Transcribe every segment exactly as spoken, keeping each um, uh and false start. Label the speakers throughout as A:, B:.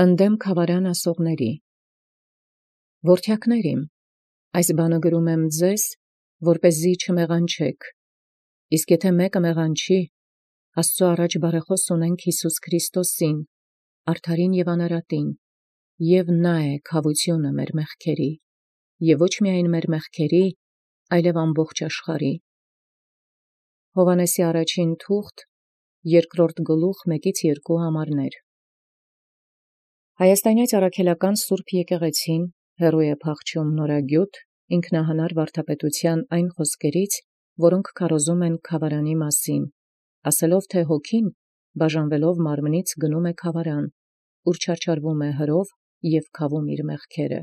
A: Ընդդեմ քավարան ասողների։ Որդեակներ իմ, այս բանը գրում եմ ձեզ, որպեսզի չմեղանչեք, իսկ եթե մեկը մեղանչի, Աստծու առաջ բարեխաւս ունենք Յիսուս Քրիստոսին, արդարին և անարատին, և նա է քավությունը մեր մեղքերի, և ոչ միայն մեր մեղքերի, այլև ամբողջ աշխարհի։ Հովհաննեսի առաջին թուղթ, երկրորդ գլուխ, մեկից երկու համարներ։ Հայաստանյաց առաքելական Սուրբ Եկեղեցին հեռու է փախչում նորագիւտ ինքնահանար վարդապետության այն խոսքերից, որոնք քարոզում են քավարանի մասին, ասելով թե հոգին, բաժանվելով մարմնից, գնում է քավարան, ուր չարչարվում է հրով և քավում իր մեղքերը։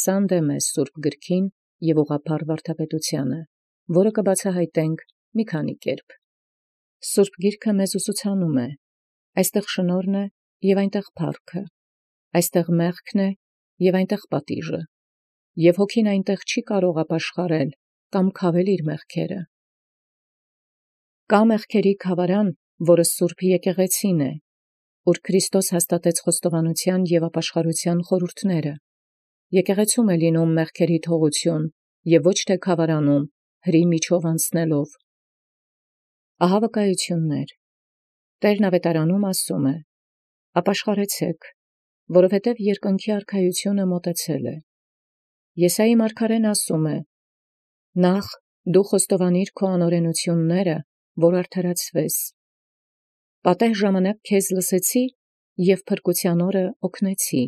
A: Սա ընդդեմ է Սուրբ գրքին և ուղղափառ վարդապետությանը, որը կբացահայտենք մի քանի կերպ։ Սուրբ գիրքը մեզ ուսուցանում է. այստեղ շնորհն է և այնտեղ փառքը, այստեղ մեղքն է և այնտեղ պատիժը, և հոգին այնտեղ չի կարող ապաշխարել կամ քավել իր մեղքերը։ Կա մեղքերի քավարան, որը Սուրբ Եկեղեցին է, ուր Քրիստոս հաստատեց խոստովանության և ապաշխարության խորհուրդները։ Եկեղեցում է լինում մեղքերի թողություն և ոչ թե քավարանում, հրի միջով անցնելով։ Ահա վկայություններ։ Տերն ավետարանում ասում է. «Ապաշխարեցեք, որովհետև երկնքի արքայությունը մոտեցել է»։ Եսայի մարգարեն ասում է. «Նախ դու խոստովանիր քո անօրենությունները, որ արդարացվես։ Պատեհ ժամանակ քեզ լսեցի և փրկության օրը օգնեցի»։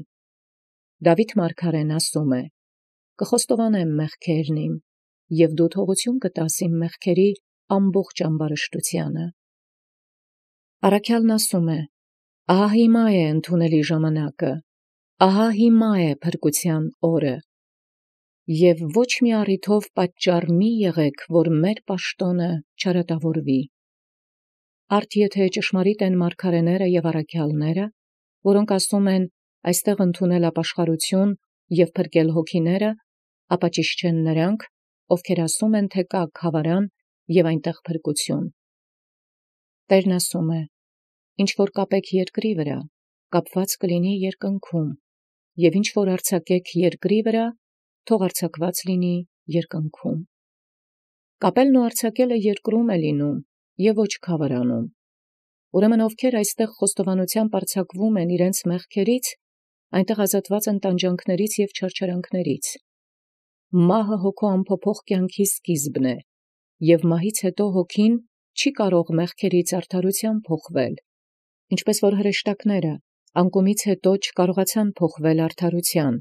A: Դավիթ մարգարեն ասում է. «Կխոստովանեմ մեղքերն իմ, և դու թողություն կտաս իմ մեղքերի ամբողջ ամբարշտությանը»։ Առաքյալն ասում է. «Ահա հիմա է ընդունելի ժամանակը, ահա հիմա է փրկության օրը, և ոչ մի առիթով պատճառ մի եղեք, որ մեր պաշտոնը չարատավորվի»։ Արդ եթե ճշմարիտ են մարգարեները և առաքյալները, որոնք ասում են այստեղ ընդունել ապաշխարություն և փրկել հոգիները, ապա ճիշտ չեն նրանք, ովքեր ասում են, թե կա քավարան և այնտեղ փրկություն։ Տերն ասում է. «Ինչ որ կապեք երկրի վրա, կապված կլինի երկնքում, և ինչ որ արձակեք երկրի վրա, թող արձակված լինի երկնքում»։ Կապելն ու արձակելը երկրում է լինում և ոչ քավարանում։ Ուրեմն ովքեր այստեղ խոստովանությամբ արձակվում են իրենց մեղքերից, այնտեղ ազատված են տանջանքներից և չարչարանքներից։ Մահը հոգու անփոփոխ կյանքի սկիզբն է, և մահից հետո հոգին չի կարող մեղքերից արդարության փոխվել, ինչպես որ հրեշտակները անկումից հետո չկարողացան փոխվել արդարության։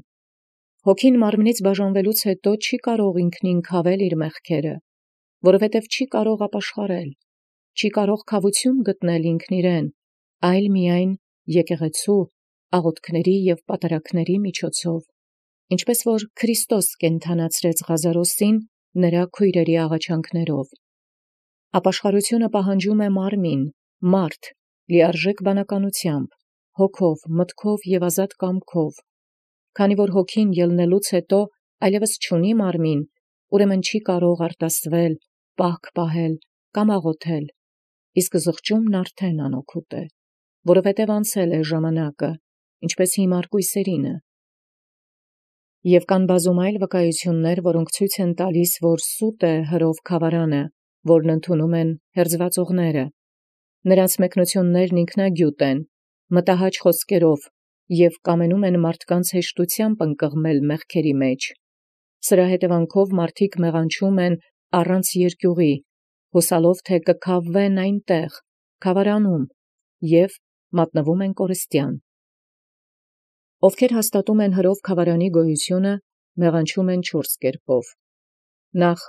A: Հոգին մարմնից բաժանվելուց հետո չի կարող ինքնին քավել իր մեղքերը, որովհետև չի կարող ապաշխարել, չի կարող քավություն գտնել ինքն իրեն, այլ միայն եկեղեցու, աղոթքների և պատարագների միջոցով, ինչպես որ Քրիստոս կենդանացրեց Ղազարոսին նրա քույրերի աղաչանքներով։ Ապաշխարությունը պահանջում է մարմին, մարդ, լիարժեք բանականությամբ, հոգով, մտքով և ազատ կամքով։ Քանի որ հոգին ելնելուց հետո այլևս չունի մարմին, ուրեմն չի կարող արտասվել, պահք պահել կամ աղոթել, իսկ զղջումն արդեն անօգուտ է, որովհետև անցել է ժամանակը, ինչպես հիմար կույսերինը։ Եվ կան բազում այլ վկայություններ, որոնք ցույց են տալիս, որ սուտ է հրով քավարանը, որն ընդունում են հերձվածողները։ Նրանց մեկնություններն ինքնագյուտ են, մտահաճ խոսքերով և կամենում են մարդկանց հեշտությամբ ընկղմել մեղքերի մեջ։ Սրա հետևանքով մարդիկ մեղանչում են առանց երկյուղի, հուսալով թե կքավվեն այնտեղ, քավարանում, և մատնվում են կորստյան։ Ովքեր հաստատում են հրով քավարանի գոյությունը, մեղանչում են չորս կերպով։ Նախ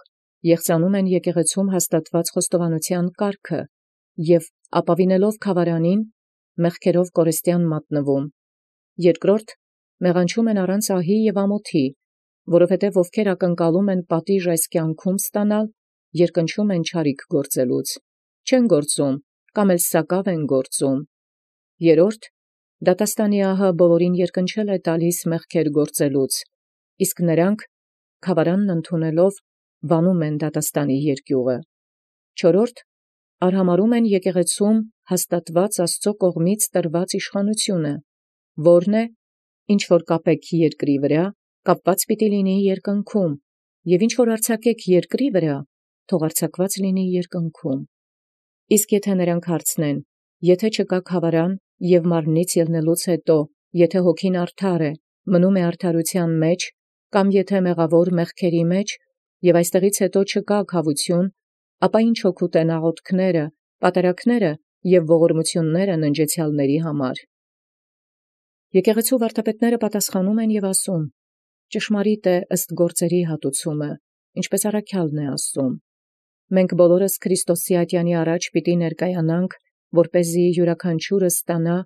A: եղծանում են եկեղեցում հաստատված խոստովանության կարգը և ապավինելով քավարանին, մեղքերով կորստյան մատնվում։ Երկրորդ մեղանչում են առանց ահի և ամոթի, որովհետև ովքեր ակնկալում են պատիժ այս կյանքում ստանալ, երկնչում են չարիք գործելուց, չեն գործում կամ էլ սակավ են գործում։ Երրորդ դատաստանի ահը բոլորին երկնչել է տալիս մեղքեր գործելուց, իսկ նրանք, քավարանն ընդունելով, վանում են դատաստանի երկյուղը։ Չորրորդ արհամարհում են եկեղեցում հաստատված Աստծո կողմից տրված իշխանությունը, Որն է, ինչ որ կապեք երկրի վրա, կապված պիտի լինի երկնքում, և ինչ որ արձակեք երկրի վրա, թող արձակված լինի երկնքում։ Իսկ եթե նրանք հարցնեն, եթե չկա խավարան և մարմնից ելնելուց հետո, եթե հոգին արդար է, մնում է արդարության մեջ, կամ եթե մեղավոր մեղքերի մեջ, և այստեղից հետո չկա քավություն, ապա ինչ օգուտ են աղոթքները, պատարակները և ողորմությունները ննջեցյալների համար։ Եկեղեցու վարդապետները պատասխանում են և ասում. ճշմարիտ է ըստ գործերի հատուցումը, ինչպես առաքյալն է ասում. մենք բոլորս Քրիստոսի ատյանի առաջ պիտի ներկայանանք, որպեսզի յուրաքանչյուրը ստանա,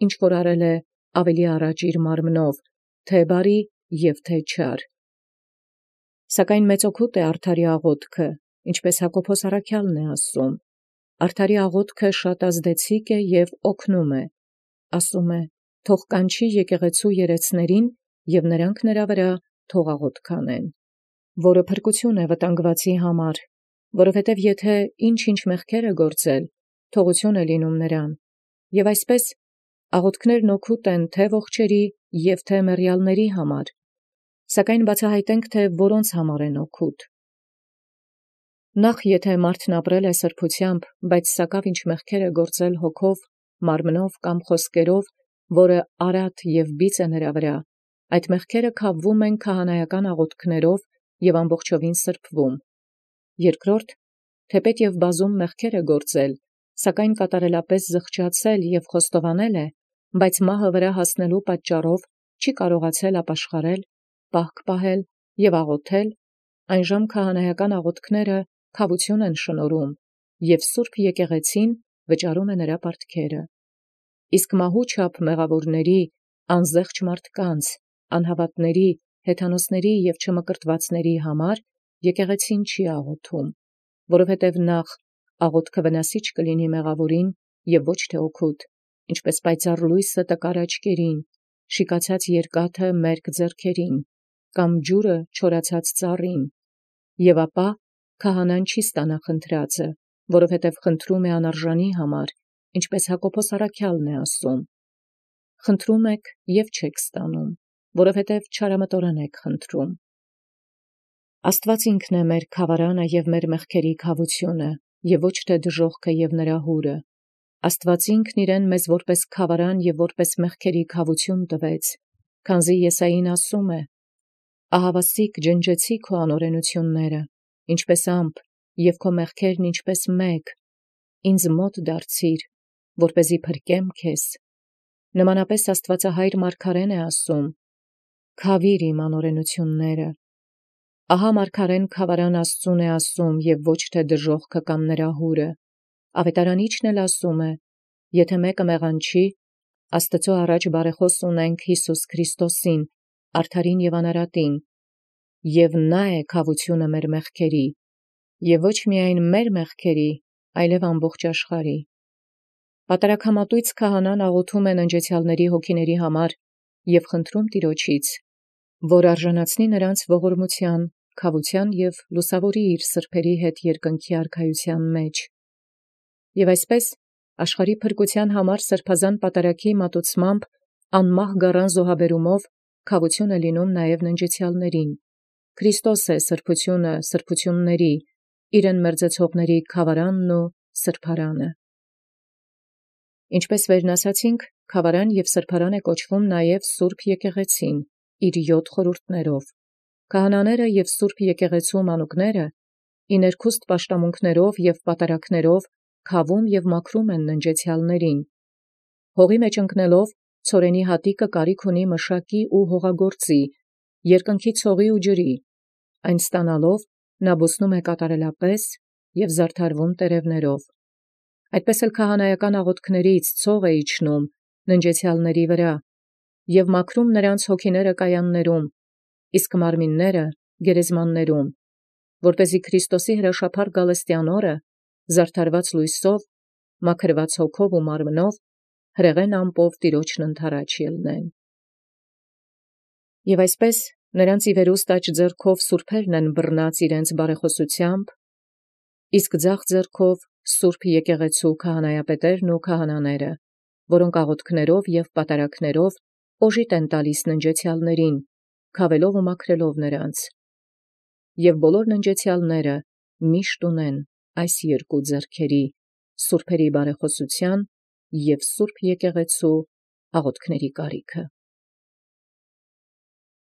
A: ինչ որ արել է ավելի առաջ իր մարմնով, թե բարի և թե չար։ Սակայն մեծ օգուտ է արդարի աղոթքը, ինչպես Հակոբոս առաքյալն է ասում. արդարի աղոթքը շատ ազդեցիկ է և օգնում է, ասում է. թող կանչի եկեղեցու երեցներին և նրանք նրա վրա թող աղոթք անեն, որը փրկություն է վտանգվածի համար, որովհետև եթե ինչ-ինչ մեղքեր է գործել, թողություն է լինում նրան, և այսպես աղոթքներն օգուտ են թե ողջերի և թե մեռյալների համար, սակայն բացահայտենք, թե որոնց համար են օգուտ։ Նախ եթե մարդն ապրել է սրբությամբ, բայց սակավ ինչ մեղքեր է գործել հոգով, մարմնով կամ խոսքերով, որը արատ և բիծ է նրա վրա, այդ մեղքերը քավվում են քահանայական աղոթքներով և ամբողջովին սրբվում։ Երկրորդ, թեպետ և բազում մեղքեր է գործել, սակայն կատարելապես զղջացել և խոստովանել է, բայց մահը վրա հասնելու պատճառով չի կարողացել ապաշխարել, պահք պահել և աղոթել, այնժամ քահանայական աղոթքները քավություն են շնորհում, և Սուրբ Եկեղեցին վճարում է նրա պարտքերը։ Իսկ մահու չափ մեղավորների, անզեղչ մարդկանց, անհավատների, հեթանոսների և չմկրտվածների համար եկեղեցին չի աղոթում, որովհետև նախ աղոթքը վնասիչ կլինի մեղավորին և ոչ թե օգուտ, ինչպես պայծառ լույսը տկար աչքերին, շիկացած երկաթը մերկ ձեռքերին, կամ ջուրը չորացած ծառին, և ապա քահանան չի ստանա խնդրածը, որովհետև խնդրում է անարժանի համար, ինչպես Հակոբոս առաքյալն է ասում. խնդրում եք և չեք ստանում, որովհետև չարամտորեն եք խնդրում։ Աստված ինքն է մեր խավարանը և մեր մեղքերի քավությունը, և ոչ թե դժոխքը և նրա հուրը։ Աստված ինքն իրեն մեզ որպես խավարան և որպես մեղքերի քավություն տվեց, քանզի Եսային ասում է. «Ահավասիկ ջնջեցի քո անօրենությունները, ինչպես ամպ, և քո մեղքերն ինչպես մեգ, ինձ մոտ դարձիր, որպեսզի փրկեմ քեզ»։ Նմանապես Աստվածահայր Մարգարեն է ասում. «Քավիր իմ անօրենությունները»։ Ահա Մարգարեն խավարան Աստծուն է ասում և ոչ թե դժոխքը կամ նրա հուրը։ Ավետարանիչն էլ ասում է. «Եթե մեկը մեղանչի, Աստծո առաջ բարեխոս ունենք Հիսուս Քրիստոսին, արդարին և անարատին, և նա է քավությունը մեր մեղքերի, և ոչ միայն մեր մեղքերի, այլև ամբողջ աշխարհի»։ Պատարագամատույց քահանան աղոթում է ննջեցյալների հոգիների համար և խնդրում Տիրոջից, որ արժանացնի նրանց ողորմության, քավության և լուսավորի իր սրբերի հետ երկնքի արքայության մեջ։ Եվ այսպես աշխարհի փրկության համար սրբազան պատարագի մատուցմամբ անմահ գառան զոհաբերումով քավություն է լինում նաև ննջեցյալներին։ Քրիստոս է սրբությունը սրբությունների, իրեն մերձեցողների խավարանն ու սրբարանը։ Ինչպես վերն ասացինք, խավարան և սրբարան է կոչվում նաև Սուրբ Եկեղեցին, իր յոթ խորհուրդներով։ Քահանաները և Սուրբ Եկեղեցու մանուկները ի ներքուստ պաշտամունքներով և պատարակներով քավում և մաքրում են ննջեցյալներին։ Հողի մեջ ընկնելով ցորենի հատիկը կարիք ունի մշակի ու հողագործի, երկնքի ցողի ու ջրի, այն ստանալով նա բուսնում է կատարելապես և զարդարվում տերևներով։ Այդպես էլ քահանայական աղոթքներից ցող է իջնում ննջեցյալների վրա և մաքրում նրանց հոգիները կայաններում, իսկ մարմինները գերեզմաններում, որպեսզի Քրիստոսի հրաշափառ գալստյան օրը զարդարված լույսով, մաքրված հոգով ու մարմնով հրեղեն ամպով Տիրոջն ընդառաջ ելնեն։ Եվ այսպես նրանց ի վերուստ աջ ձեռքով սուրբերն են բռնած իրենց բարեխոսությամբ, իսկ ձախ ձեռքով Սուրբ Եկեղեցու քահանայապետերն ու քահանաները, որոնք աղոթքներով և պատարակներով օժիտ են տալիս ննջեցեալսն, քաւելով և մաքրելով նոցա. և բոլոր ննջեցեալսն միշտ ունին այս երկու ձեռքերի, սուրբացն բարեխաւսութեան և սուրբ եկեղեցւոյ աղաւթքն կարիք։